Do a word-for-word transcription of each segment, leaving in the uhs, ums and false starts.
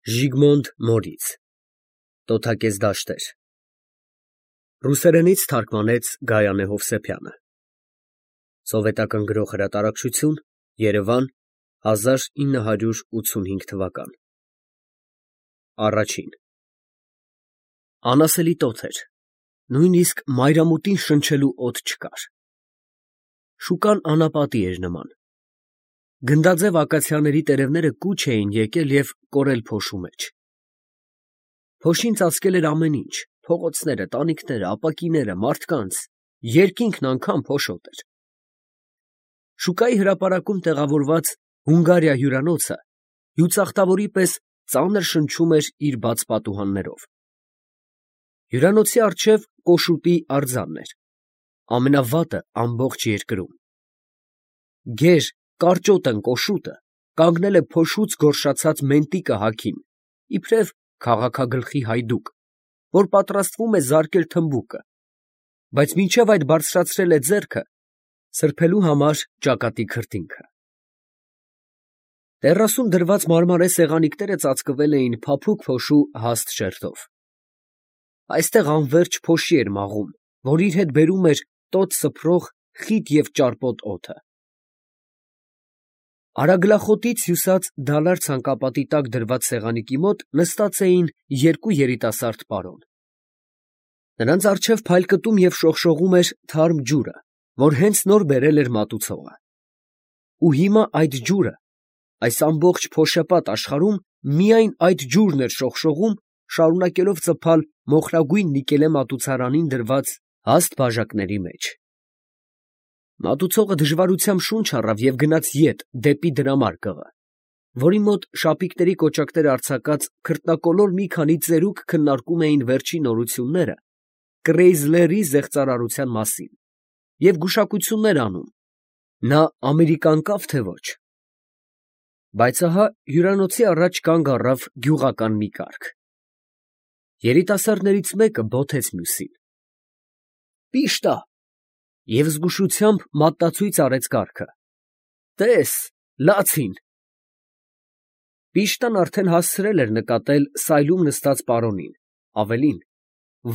Ժիգմոնտ Մորից Տոթակez դաշտեր Ռուսերենից թարգմանեց Գայանե Հովսեփյանը Սովետական Գրող Հրատարակչություն Երևան հազար ինը հարյուր ութսունհինգ թվական Առաջին Անասելի տոթ էր, նույնիսկ մայրամուտին շնչելու օդ չկար։ Շուկան անապատի էր նման։ Գնդաձև ակացիաների տերևները կուչ էին եկել և կորել փոշու մեջ։ Փոշին ծածկել էր ամեն ինչ, փողոցները, տանիքները, ապակիները, մարդկանց, երկինքն անգամ փոշոտ էր։ Շուկայի հրապարակում տեղավորված Հունգարիա հյուրանոցը հյուծախտավորի պես ծանր շնչում էր իր բաց պատուհաններով։ Հյուրանոցի առջև կոշուտի արձանն էր, ամենավատը ամբողջ երկրում։ Գեր, կարճոտն կոշուտը կանգնել է փոշուց գորշացած մենտիկը հագին, իբրև քաղաքագլխի հայդուկ, որ պատրաստվում է զարկել թմբուկը, բայց մինչև այդ բարձրացրել է ձեռքը սրբելու համար ճակատի քրտինքը։ Տեռասում դրված մարմարե սեղանիկները ծածկվել էին փափուկ փոշու հաստ շերտով։ Այստեղ անվերջ փոշի էր մաղում, որ իր հետ բերում էր տոտ սփռող խիտ և ճարպոտ օդը։ Արագլախոտից հյուսած դալար ցանկապատի տակ դրված սեղանիկի մոտ նստած էին երկու երիտասարդ պարոն։ Նրանց առջև փայլկտում և շողշողում էր թարմ ջուրը, որ հենց նոր բերել էր մատուցողը։ Ու հիմա այդ ջուրը, այս ամբողջ փոշեպատ աշխարհում միայն այդ ջուրն էր շողշողում, շարունակելով ծփալ մոխրագույն նիկելե մատուցարանին դրված հաստ բաժակների մեջ։ Մատուցողը դժվարությամբ շունչ առավ և գնաց ետ դեպի դրամարկղը, որի մոտ շապիկների կոճակներ արձակած քրտնակոլոր մի քանի ծերուկ քննարկում էին վերջին նորությունները Կրեյզլերի զեղծարարության մասին և գուշակություններ անում, նա ամերիկան կավ, թե ոչ։ Բայց ահա հյուրանոցի առաջ կանգ առավ գյուղական մի կառք։ Երիտասարդներից մեկը բոթեց մյուսին։ Պիշտա! Եվ զգուշությամբ մատնացույց արեց կառքը։ Տես, լացին։ Պիշտան արդեն հասցրել էր նկատել սայլում նստած պարոնին, ավելին,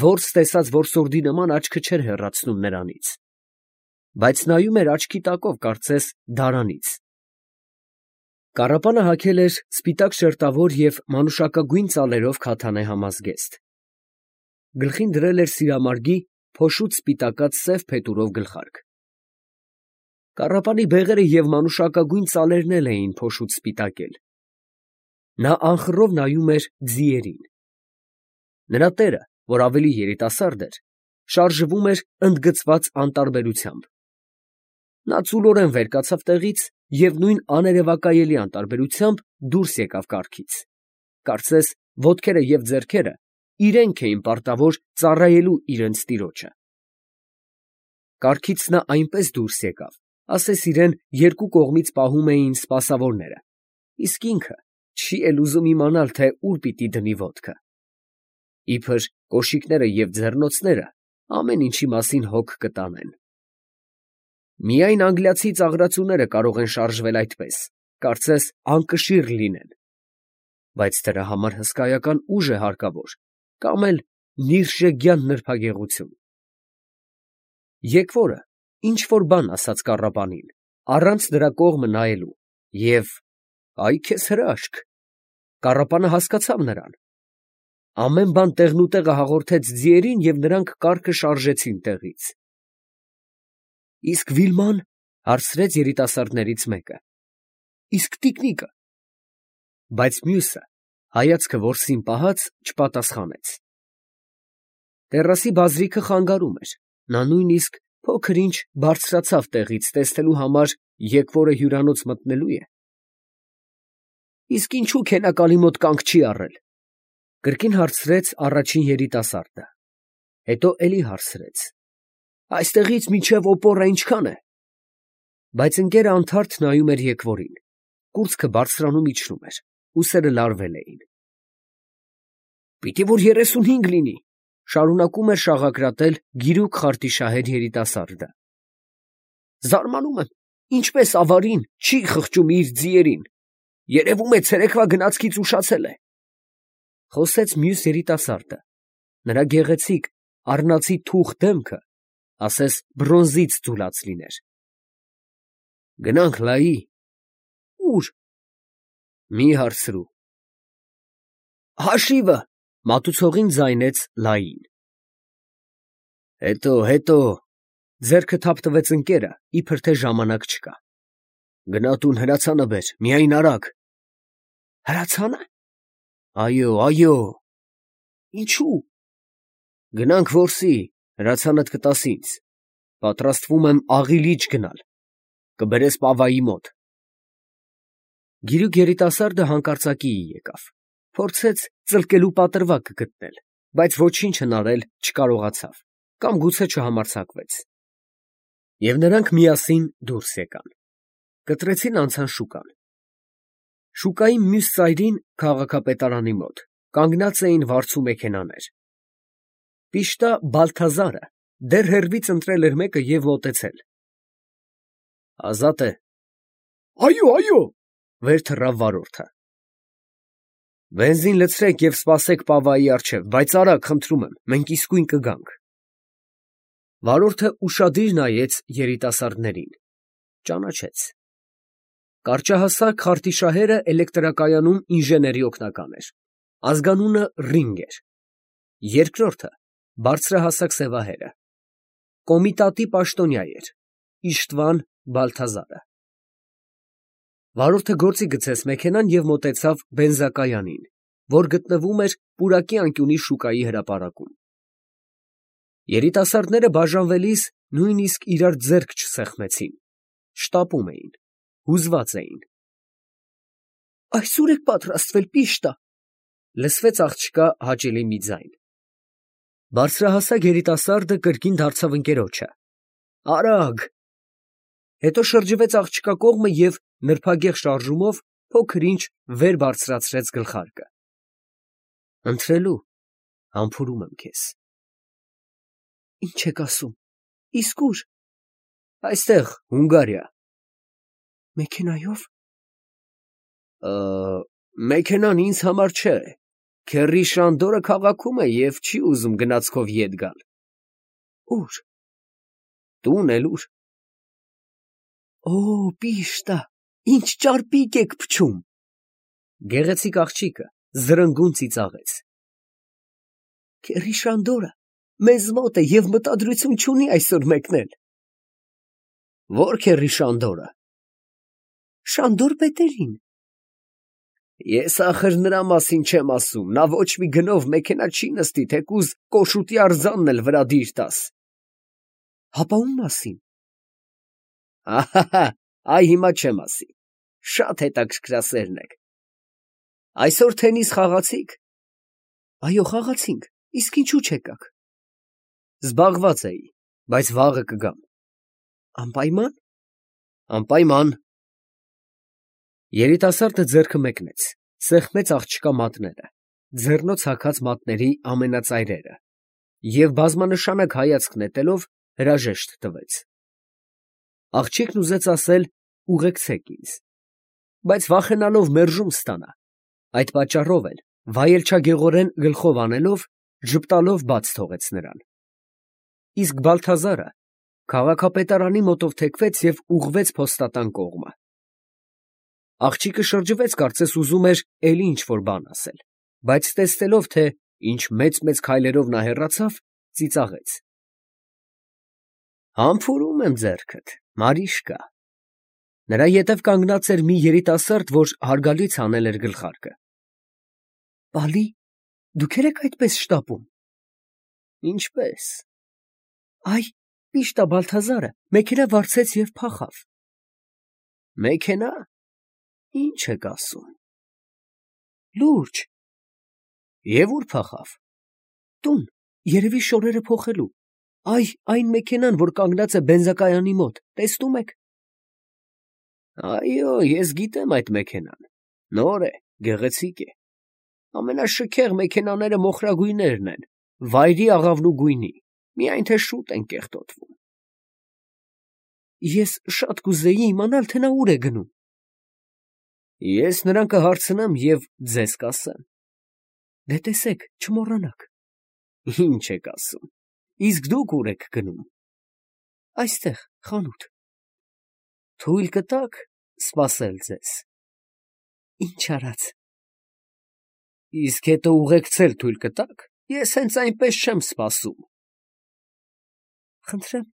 որս տեսած որսորդի նման աչքը չէր հեռացնում նրանից, բայց նայում էր աչքի տակով, կարծես դարանից։ Կառապանը հագել էր սպիտակ շերտավոր և մանուշակագույն ծալերով քաթանե համազգեստ։ Գլխին դրել էր սիրամարգի փոշուց սպիտակած սև փետուրով գլխարկ։ Կառապանի բեղերը և մանուշակագույն ծալերն էլ էին փոշուց սպիտակել։ Նա անխռով նայում էր ձիերին։ Նրա տերը, որ ավելի երիտասարդ էր, շարժվում էր ընդգծված անտարբերությամբ։ Նա ծուլորեն վեր կացավ տեղից և նույն աներևակայելի անտարբերությամբ դուրս եկավ կառքից, կարծես ոտքերը և ձեռքերը իրենք էին պարտավոր ծառայելու իրենց տիրոջը։ Կառքից նա այնպես դուրս եկավ, ասես իրան երկու կողմից պահում էին սպասավորները, իսկ ինքը չի էլ ուզում իմանալ, թե ուր պիտի դնի ոտքը։ Իբր կոշիկները և ձեռնոցները ամեն ինչի մասին հոգ կտանեն։ Միայն անգլիացի ծաղրածուները կարող են շարժվել այդպես, կարծես անկշիռ լինեն, բայց դրա համար հսկայական ուժ է հարկավոր, կամ էլ նիրհժեգյան նրբագեղություն։ Եկվորը ինչ֊որ բան ասաց կառապանին, առանց նրա կողմը նայելու, և «Ա՛յ քեզ հրաշք», կառապանը հասկացավ նրան։ Ամեն բան տեղնուտեղը հաղորդեց ձիերին, և նրանք կառքը շարժեցին տեղից։ ֊ Իսկ Վիլման, ֊ հարցրեց երիտասարդներից մեկը, ֊ իսկ տիկնիկը։ Բայց մյուսը, հայացքը որսին պահած, չպատասխանեց։ Տեռասի բազրիքը խանգարում էր, նա նույնիսկ փոքր ինչ բարձրացավ տեղից, տեսնելու համար եկվորը հյուրանոց մտնելո՞ւ է։ ֊ Իսկ ինչո՞ւ քենակալի մոտ կանգ չի առել, ֊ կրկին հարցրեց առաջին երիտասարդը, հետո էլի հարցրեց. ֊ Այստեղից մինչև օպորա ինչքան է։ Բայց ընկերը անթարթ նայում էր եկվորին, կուրծքը բարձրանում֊իջնում էր, ուսերը լարվել էին։ ֊ Պիտի որ երեսունհինգ լինի, ֊ շարունակում էր շաղակրատել գիրուկ խարտիշահեր երիտասարդը։ Զարմանում եմ, ինչպես ավարին չի խղճում իր ձիերին, երևում է ցերեկվա գնացքից ուշացել է։ Խոսեց մյուս երիտասարդը, նրա գեղեցիկ, առնացի թուխ դեմքը, ասես բրոնզից ձուլած լիներ։ Գնանք լայի։ Ո՞ւր։ Մի հարցրու։ Հաշիվը, մատուցողին ձայնեց լային։ Հետո, հետո, ձեռքը թափ տվեց ընկերը, իբր թե ժամանակ չկա։ Գնա տուն հրացանը բեր, միայն արագ։ Հրացա՞նը։ Այո, այո։ Ինչու։ Գնանք որսի, հրացանդ կտաս ինձ։ Պատրաստվում եմ աղի լիճ գնալ։ Կբերես պավայի մոտ։ Գիրուկ երիտասարդը հանկարծակիի եկավ, փորձեց ծլկելու պատրվակ գտնել, բայց ոչինչ հնարել չկարողացավ, կամ գուցե չհամարձակվեց։ Եվ նրանք միասին դուրս եկան, կտրեցին անցան շուկան։ Շուկայի մյուս ծայրին, քաղաքապետարանի մոտ, կանգնած էին վարձու մեքենաներ։ Պիշտա Բալթազարը դեռ հեռվից ընտրել էր մեկը և մոտեցել։ Ազատ է։ Այո, այո, վեր թռավ վարորդը։ Բենզին լցրեք և սպասեք պավայի առջև, բայց արագ, խնդրում եմ, մենք իսկույն կգանք։ Վարորդը ուշադիր նայեց երիտասարդներին, ճանաչեց։ Կարճահասակ խարտիշահերը էլեկտրակայանում ինժեների օգնական էր, ազգանունը Ռինգ էր, երկրորդը բարձրահասակ սևահերը, կոմիտատի պաշտոնյա էր, Իշտվան Բալթազարը։ Վարորդը գործի գցեց մեքենան և մոտեցավ բենզակայանին, որ գտնվում էր պուրակի անկյունի շուկայի հրապարակում։ Երիտասարդները բաժանվելիս նույնիսկ իրար ձեռք չսեղմեցին, շտապում էին, հուզված էին։ Այսօր եք պատրաստվել, պիշտա, լսվեց աղջկա հաճելի մի ձայն։ Բարձրահասակ երիտասարդը կրկին դարձավ ընկերոջը։ Արագ։ Հետո շրջվեց աղջկա կողմը և նրբագեղ շարժումով փոքր-ինչ վեր բարձրացրեց գլխարկը։ Ընթրելու, համբուրում եմ քեզ։ Ինչ եք ասում, իսկ ո՞ւր։ Այստեղ, Հունգարիա։ Մեքենայով։ Մեքենան ինձ համար չէ, քեռի Շանդորը քաղաքում է և չի ուզում գնացքով ետ գալ։ Ո՞ւր։ Տուն էլ ուր։ Օ, պիշտա, ինչ ճարպիկ եք փչում։ Գեղեցիկ աղջիկը զրնգուն ծիծաղեց։ Քեռի Շանդորը մեզ մոտ է և մտադրություն չունի այսօր մեկնել։ Ո՞ր քեռի Շանդորը։ Շանդոր Պետերին։ Ես ախր նրա մասին չեմ ասում, նա ոչ մի գնով մեքենա չի նստի, թեկուզ կոշուտի արձանն էլ վրա դիր տաս։ Հապա ում մասին։ Ահա, այ հիմա չեմ ասի, շատ հետաքրքրասերն եք։ Այսօր թենիս խաղացի՞ք։ Այո, խաղացինք, իսկ ինչու չեկաք։ Զբաղված էի, բայց վաղը կգամ։ Անպայման։ Անպայման։ Երիտասարդը ձեռքը մեկնեց, սեղմեց աղջկա մատները, ձեռնոց հագած մատների ամենածայրերը և բազմանշանակ հայացք նետելով հրաժեշտ տվեց։ Աղջիկն ուզեց ասել ուղեկցեք ինձ, բայց վախենալով մերժում ստանա, այդ պատճառով էլ վայելչագեղորեն գլխով անելով, ժպտալով բաց թողեց նրան։ Իսկ Բալթազարը քաղաքապետարանի մոտով թեքվեց և ուղղվեց փոստատան կողմը։ Աղջիկը շրջվեց, կարծես ուզում էր էլի ինչ-որ բան ասել, բայց տեսնելով, թե ինչ մեծ֊մեծ քայլերով նա հեռացավ, ծիծաղեց։ Համբուրում եմ ձեռքդ, Մարիշկա։ Նրա ետև կանգնած էր մի երիտասարդ, որ հարգալից հանել էր գլխարկը։ Պալի, դուք եք այդպես շտապում։ Ինչպես։ Այ, պիշտա Բալթազարը մեքենա վարձեց և փախավ։ Մեքենա։ Ինչ եք ասում։ Լուրջ։ Եվ ուր փախավ։ Տուն, երևի շորերը փոխելու։ Այ, այն մեքենան, որ կանգնած է բենզակայանի մոտ, տեսնում եք։ Այո, ես գիտեմ այդ մեքենան, նոր է, գեղեցիկ է, ամենաշքեղ մեքենաները մոխրագույններն են, վայրի աղավնու գույնի, միայն թե շուտ են կեղտոտվում։ Ես շատ կուզեի իմանալ, թե նա ուր է գնում։ Ես նրան կհարցնեմ և ձեզ կասեմ։ Դե տեսեք, չմոռանաք։ Ինչ եք ասում։ Իսկ դուք ուր եք գնում։ Այստեղ, խանութ։ Թույլ կտաք սպասել ձեզ։ Ինչ արած։ Իսկ հետո ուղեկցել թույլ կտաք։ Ես հենց այնպես չեմ սպասում։ Խնդրեմ։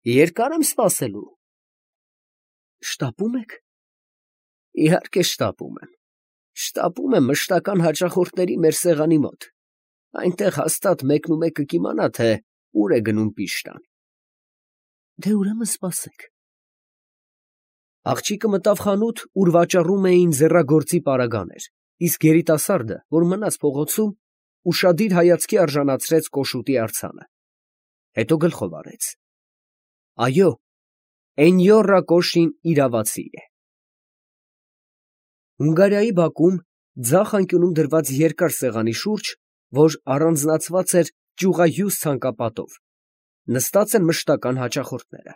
Երկար եմ սպասելու։ Շտապում եք։ Իհարկե շտապում եմ։ Շտապում եմ մշտական հաճախորդների մեր սեղանի մոտ։ Այնտեղ հաստատ մեկն ու մեկը կիմանա, թե ուր է գնում Պիշտան։ Դե ուրեմն սպասեք։ Աղջիկը մտավ խանութ, ուր վաճառում էին ձեռագործի պարագաներ, իսկ երիտասարդը, որ մնաց փողոցում, ուշադիր հայացքի արժանացրեց կոշուտի արձանը։ Հետո գլխով արեց. Այո, Էնյորա Կոշին իրավացի է։ Հունգարիայի բակում, ձախ անկյունում դրված երկար սեղանի շուրջ, որ առանձնացված էր ճյուղահյուս ցանկապատով, նստած են մշտական հաճախորդները։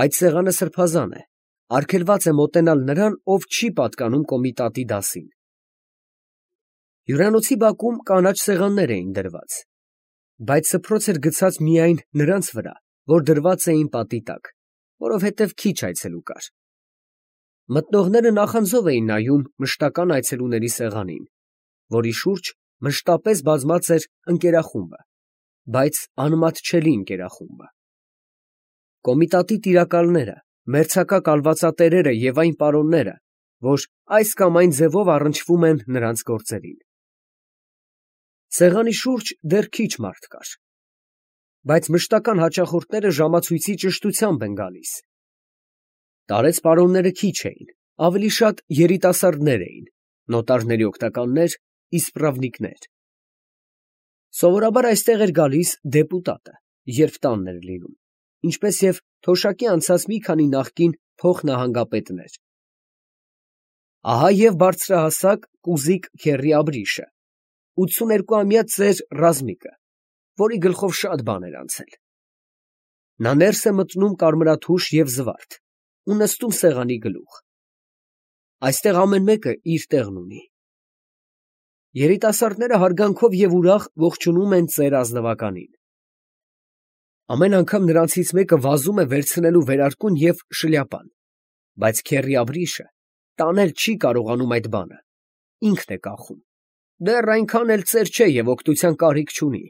Այդ սեղանը սրբազան է, արգելված է մոտենալ նրան, ով չի պատկանում կոմիտատի դասին։ Հյուրանոցի բակում կանաչ սեղաններ էին դրված, բայց սփռոց էր գցած միայն նրանց վրա, որ դրված էին պատի տակ, որովհետև քիչ այցելու կար։ Մտնողները նախանձով էին նայում մշտական այցելուների սեղանին, որի շուրջ մշտապես բազմած էր ընկերախումբը, բայց անմատչելի ընկերախումբը։ Կոմիտատի տիրակալները, մերձակա կալվածատերերը և այն պարոնները, որ այս կամ այն ձևով առնչվում են նրանց գործերին։ Սեղանի շուրջ դեռ քիչ մարդ կար, բայց մշտական հաճախորդները ժամացույցի ճշտությամբ են գալիս։ Տարեց պարոնները քիչ էին, ավելի շատ երիտասարդներ էին, նոտարների օգնականներ, իսպրավնիկներ։ Սովորաբար այստեղ էր գալիս դեպուտատը, երբ տանն էր լինում, ինչպես և թոշակի անցած մի քանի նախկին փոխնահանգապետներ։ Ահա և բարձրահասակ կուզիկ քեռի Աբրիշը, ութսուներկուամյա ծեր Ռազմիկը, որի գլխով շատ բան էր անցել։ Նա ներս է մտնում կարմրաթուշ և զվարթ ու նստում սեղանի գլուխ։ Այստեղ ամեն մեկը իր տեղն ունի։ Երիտասարդները հարգանքով և ուրախ ողջունում են ծեր ազնվականին։ Ամեն անգամ նրանցից մեկը վազում է վերցնելու վերարկուն և շլյապան, բայց քեռի Աբրիշը տանել չի կարողանում այդ բանը, ինքն է կախում, դեռ այնքան էլ ծեր չէ և օգնության կարիք չունի։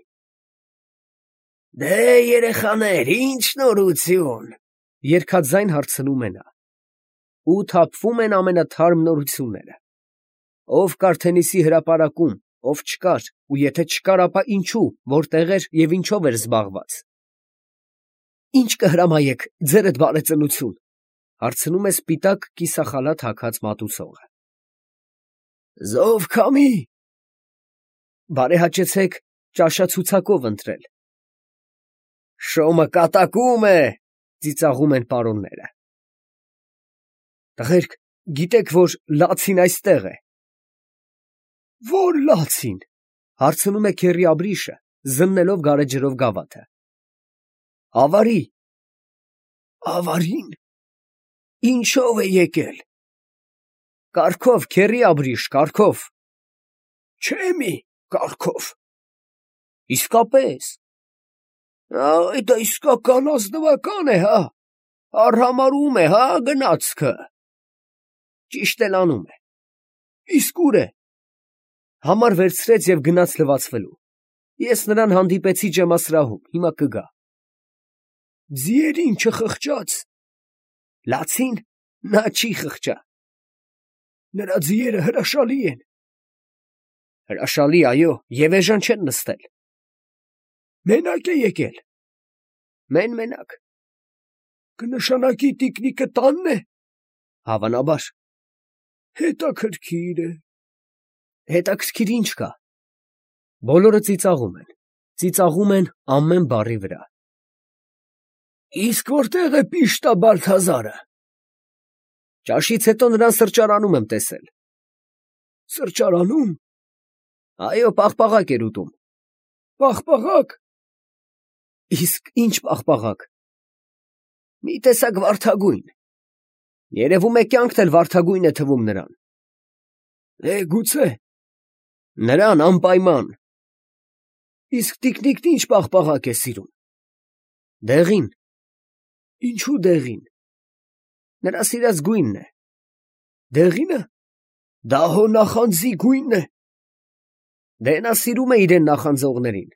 Դե երեխաներ, ինչ նորություն, երգաձայն հարցնում է նա։ Ու թափվում են ամենաթարմ նորությունները։ Ով կար Թենիսի հրապարակում, ով չկար, ու եթե չկար, ապա ինչու, որտեղ էր և ինչով էր զբաղված։ Ինչ կհրամայեք, ձերդ բարեծնություն, հարցնում է սպիտակ կիսախալաթ հագած մատուցողը։ Զով քամի։ Բարեհաճեցեք ճաշացուցակով ընտրել։ Շոմը կատակում է, ծիծաղում են պարոնները։ Տղերք, գիտեք, որ լացին այստեղ է։ Որ լացին, հարցնում է քեռի Աբրիշը, զննելով գարեջրով գավաթը։ Ավարի։ Ավարին։ Ինչով է եկել։ Կառքով, քեռի Աբրիշ, կառքով։ Չեմի, կառքով։ Իսկապես։ Այ դա իսկական ազնվական է, հա։ Արհամարհում է, հա, գնացքը։ Ճիշտ էլ անում է։ Իսկ ուր է։ Համար վերցրեց և գնաց լվացվելու։ Ես նրան հանդիպեցի ջեմասրահում, հիմա կգա։ Ձիերին չխղճաց։ Լացին, նա չի խղճա։ Նրա ձիերը հրաշալի են։ Հրաշալի, այո, և էժան չեն նստել։ Մենակ է եկել։ Մեն֊մենակ։ Կնշանակի տիկնիկը տանն է։ Հավանաբար։ Հետաքրքիր է։ Հետաքրքիր ինչ կա։ Բոլորը ծիծաղում են, ծիծաղում են ամեն բառի վրա։ Իսկ որտեղ է Պիշտա Բալթազարը։ Ճաշից հետո նրան սրճարանում եմ տեսել։ Սրճարանում։ Այո, պաղպաղակ էր ուտում։ Պաղպաղակ։ Իսկ ինչ պաղպաղակ։ Մի տեսակ վարդագույն։ Երևում է կյանքն էլ վարդագույն է թվում նրան։ Է, գուցե, Նրան անպայման։ Իսկ տիկնիկն ինչ պաղպաղակ է սիրում։ Դեղին։ Ինչու դեղին։ Նրա սիրած գույնն է։ Դեղինը։ Դա հո նախանձի գույնն է։ Դե նա սիրում է իրեն նախանձողներին։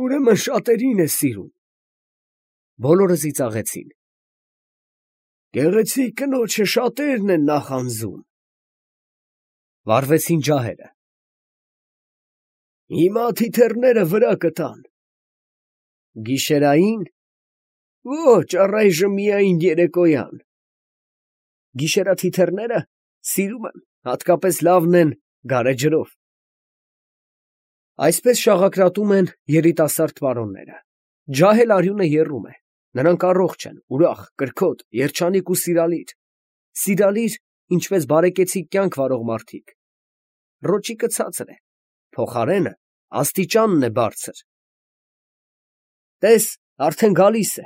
Ուրեմն շատերին է սիրում։ Բոլորը ծիծաղեցին։ Գեղեցիկ կնոջը շատերն են նախանձում։ Վառվեցին ջահերը։ Հիմա թիթեռները վրա կտան։ Գիշերային։ Ոչ, առայժմ միայն երեկոյան։ Գիշերաթիթեռները սիրում եմ, հատկապես լավն են գարեջրով։ Այսպես շաղակրատում են երիտասարդ պարոնները։ Ջահել արյունը եռում է։ Նրանք առողջ են, ուրախ, կրքոտ, երջանիկ ու սիրալիր։ Սիրալիր, ինչպես բարեկեցիկ կյանք վարող մարդիկ։ Ռոճիկը ցածր է, փոխարենը աստիճանն է բարձր։ Տես, արդեն գալիս է։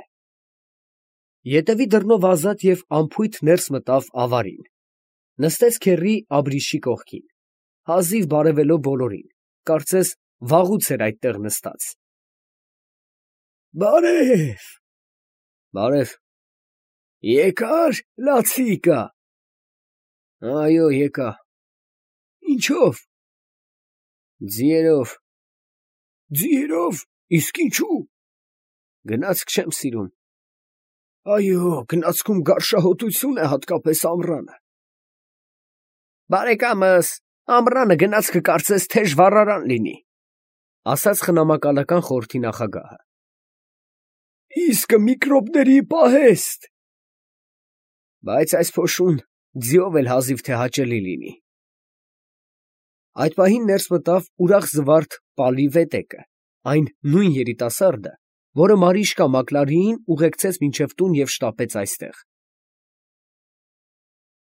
Ետևի դռնով ազատ և անփույթ ներս մտավ ավարին։ Նստեց քեռի Աբրիշի կողքին, հազիվ բարևելով բոլորին, կարծես վաղուց էր այդտեղ նստած։ Բարև։ Բարև։ Եկա՞ր, լացիկա։ Այո, եկա։ Ինչով։ Ձիերով։ Ձիերով, իսկ ինչու։ Գնացք չեմ սիրում։ Այո, գնացքում գարշահոտություն է, հատկապես ամռանը։ Բարեկամս, ամռանը գնացքը կարծես թեժ վառարան լինի, ասաց խնամակալական խորհրդի նախագահը։ Իսկ միկրոբների պահեստ։ Բայց այս փոշուն ձիով էլ հազիվ թե հաճելի լինի։ Այդ պահին ներս մտավ ուրախ զվարթ Պալի վետեկը, այն նույն երիտասարդը, որը Մարիշկա Մակլարիին ուղեկցեց մինչև տուն և շտապեց այստեղ։